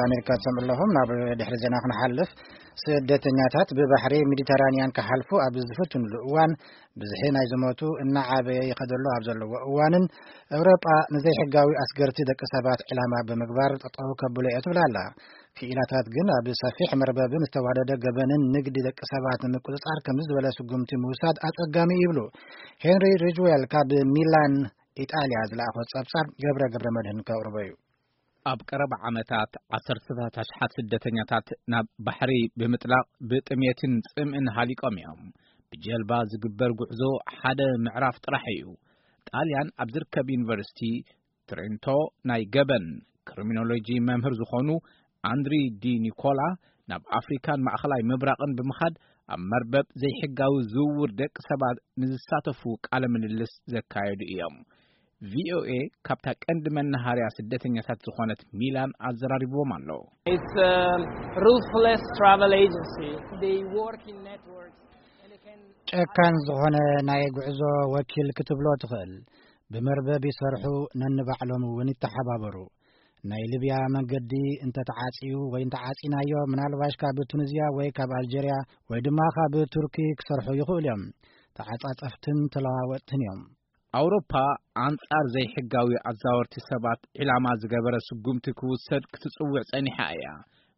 ኣሜሪካ ትሰምዑ ኣለኹም። ናብ ድሕሪ ዜና ክንሓልፍ፣ ስደተኛታት ብባሕሪ ሜዲተራንያን ክሓልፉ ኣብ ዝፍትኑሉ እዋን፣ ብዝሒ ናይ ዝሞቱ እናዓበየ ይኸደሉ ኣብ ዘለዎ እዋንን፣ ኤውሮጳ ንዘይሕጋዊ ኣስገርቲ ደቂ ሰባት ዕላማ ብምግባር ጠጠው ከብሎ እየ ትብል ኣላ። ክኢላታት ግን ኣብ ሰፊሕ መርበብን ዝተዋደደ ገበንን ንግዲ ደቂ ሰባት ንምቁጽጻር ከምዚ ዝበለ ስጉምቲ ምውሳድ ኣጸጋሚ እዩ ይብሉ። ሄንሪ ሪጅዌል ካብ ሚላን ኢጣልያ ዝለኣኾ ጸብጻብ ገብረ ገብረ መድህን ከቕርቦ እዩ። ኣብ ቀረባ ዓመታት ዓሰርተታት ኣሽሓት ስደተኛታት ናብ ባሕሪ ብምጥላቕ ብጥሜትን ጽምእን ሃሊቆም እዮም። ብጀልባ ዝግበር ጉዕዞ ሓደ ምዕራፍ ጥራሕ እዩ። ጣልያን ኣብ ዝርከብ ዩኒቨርሲቲ ትሬንቶ ናይ ገበን ክሪሚኖሎጂ መምህር ዝኾኑ ኣንድሪ ዲ ኒኮላ ናብ ኣፍሪካን ማእኸላይ ምብራቕን ብምኻድ ኣብ መርበብ ዘይሕጋዊ ዝውውር ደቂ ሰባት ንዝሳተፉ ቃለ ምልልስ ዘካየዱ እዮም። ቪኦኤ ካብታ ቀንዲ መናሃርያ ስደተኛታት ዝኾነት ሚላን ኣዘራሪብዎም ኣሎ። It's a ruthless travel agency. They work in networks. And they can ጨካን ዝኾነ ናይ ጉዕዞ ወኪል ክትብሎ ትኽእል። ብመርበብ ይሰርሑ፣ ነንባዕሎም እውን ይተሓባበሩ። ናይ ሊብያ መንገዲ እንተተዓጽዩ ወይ እንተዓጺናዮ፣ ምናልባሽ ካብ ቱኒዝያ ወይ ካብ ኣልጀርያ ወይ ድማ ካብ ቱርኪ ክሰርሑ ይኽእሉ እዮም። ተዓጻጸፍትን ተለዋወጥትን እዮም። ኣውሮፓ ኣንጻር ዘይሕጋዊ ኣዛወርቲ ሰባት ዒላማ ዝገበረ ስጉምቲ ክውሰድ ክትጽውዕ ጸኒሓ እያ።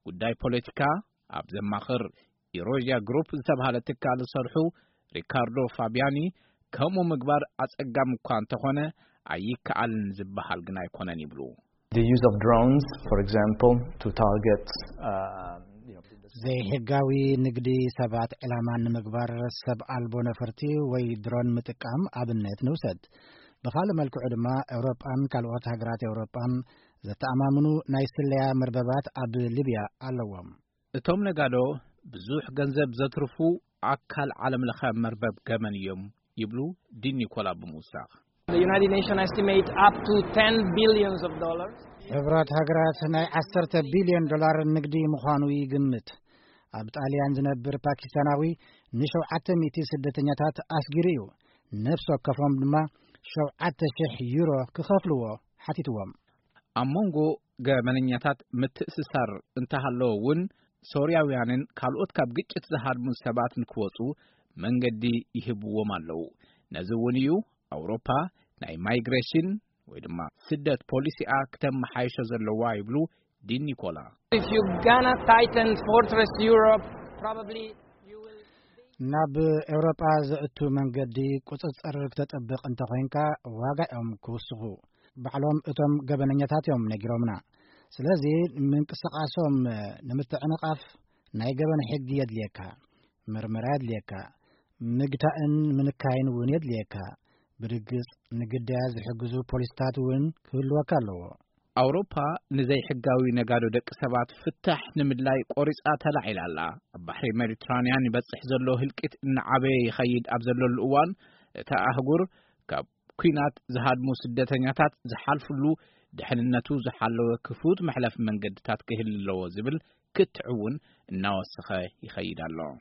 ጉዳይ ፖለቲካ ኣብ ዘማኽር ኢሮዥያ ግሩፕ ዝተባህለ ትካል ዝሰርሑ ሪካርዶ ፋቢያኒ፣ ከምኡ ምግባር ኣጸጋሚ እኳ እንተኾነ ኣይከኣልን ዝበሃል ግን ኣይኮነን ይብሉ። The use of drones, for example, to target uh, you know, ዘይሕጋዊ ንግዲ ሰባት ዕላማ ንምግባር ሰብ ኣልቦ ነፈርቲ ወይ ድሮን ምጥቃም ኣብነት ንውሰድ። ብኻልእ መልክዑ ድማ ኤውሮጳን ካልኦት ሃገራት ኤውሮጳን ዘተኣማምኑ ናይ ስለያ መርበባት ኣብ ሊብያ ኣለዎም። እቶም ነጋዶ ብዙሕ ገንዘብ ዘትርፉ ኣካል ዓለም ለኸ መርበብ ገበን እዮም ይብሉ ዲን ኒኮላ ብምውሳኽ። The United Nations estimate up to ten billions of dollars. ሕብራት ሃገራት ናይ ዓሰርተ ቢልዮን ዶላር ንግዲ ምዃኑ ይግምት። ኣብ ጣልያን ዝነብር ፓኪስታናዊ ንሸውዓተ ሚእቲ ስደተኛታት ኣስጊሩ እዩ። ነፍሲ ወከፎም ድማ ሸውዓተ ሽሕ ዩሮ ክኸፍልዎ ሓቲትዎም። ኣብ መንጎ ገበነኛታት ምትእስሳር እንተሃለወ እውን፣ ሶርያውያንን ካልኦት ካብ ግጭት ዝሃድሙ ሰባት ንክወጹ መንገዲ ይህብዎም ኣለዉ። ነዚ እውን እዩ ኣውሮፓ ናይ ማይግሬሽን ወይ ድማ ስደት ፖሊሲኣ ክተመሓይሾ ዘለዋ ይብሉ ዲን ኒኮላ። If you're gonna tighten Fortress Europe, probably you will. ናብ ኤውሮጳ ዘእቱ መንገዲ ቁጽጽር ክተጠብቕ እንተኾይንካ ዋጋ እዮም ክውስኹ። ባዕሎም እቶም ገበነኛታት እዮም ነጊሮምና። ስለዚ ምንቅስቓሶም ንምትዕንቓፍ ናይ ገበን ሕጊ የድልየካ፣ ምርመራ የድልየካ፣ ምግታእን ምንካይን እውን የድልየካ። ብርግጽ ንግዳያት ዝሕግዙ ፖሊስታት እውን ክህልወካ ኣለዎ። ኣውሮፓ ንዘይሕጋዊ ነጋዶ ደቂ ሰባት ፍታሕ ንምድላይ ቆሪጻ ተላዒላ ኣላ። ኣብ ባሕሪ ሜዲትራንያን ይበጽሕ ዘሎ ህልቂት እናዓበየ ይኸይድ ኣብ ዘለሉ እዋን፣ እታ ኣህጉር ካብ ኲናት ዝሃድሙ ስደተኛታት ዝሓልፍሉ ድሕንነቱ ዝሓለወ ክፉት መሕለፊ መንገድታት ክህሉ ኣለዎ ዝብል ክትዕ እውን እናወሰኸ ይኸይድ ኣሎ።